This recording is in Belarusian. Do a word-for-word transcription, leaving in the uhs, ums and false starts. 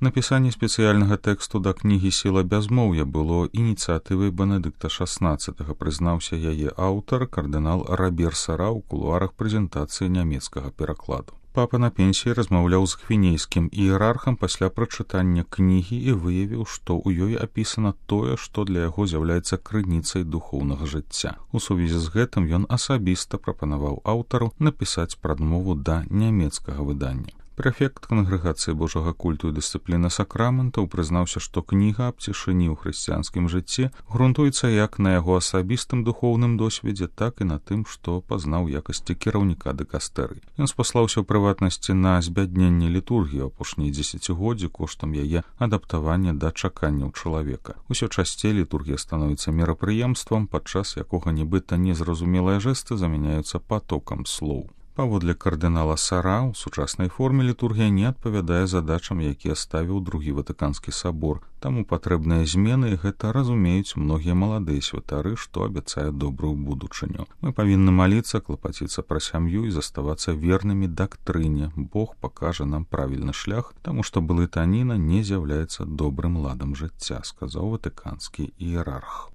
Напісанне спецыяльнага тэксту да кнігі «Сіла бязмоўя» было ініцыятывай Бенедыкта шаснаццатага, прызнаўся яе аўтар, кардынал Рабер Сара ў кулуарах прэзентацыі нямецкага перакладу. Папа на пенсіі размаўляў з гвінейскім іерархам пасля прачытання кнігі і выявіў, што ў ёй апісана тое, што для яго з'яўляецца крыніцай духоўнага жыцця. У сувязі з гэтым ён асабіста прапанаваў аўтару напісаць прадмову да нямецкага выдання. Прэфект кангрэгацыі Божага культу і дысцыпліны сакраментаў прызнаўся, што кніга аб цішыні ў хрысціянскім жыцці грунтуецца як на яго асабістым духоўным досведзе, так і на тым, што пазнаў якасці кіраўніка дыкастэрый. Ён спаслаўся ў прыватнасці на збядненне літургіі апошнія дзесяцігоддзі коштам яе адаптавання да чаканняў чалавека. Усё часцей літургія становіцца мерапрыемствам, падчас якога нібыта незразумелыя жэсты замяняюцца патокам слоў. Паводле кардынала Сара, у сучаснай форме літургія не адпавядае задачам, якія ставіў другі Ватыканскі сабор, таму патрэбныя змены, і гэта разумеюць многія маладыя святары, што абяцае добрую будучыню. Мы павінны маліцца, клапаціцца пра сям'ю і заставацца вернымі дактрыне. Бог пакажа нам правільны шлях, таму што блытаніна не з'яўляецца добрым ладам жыцця, сказаў ватыканскі іерарх.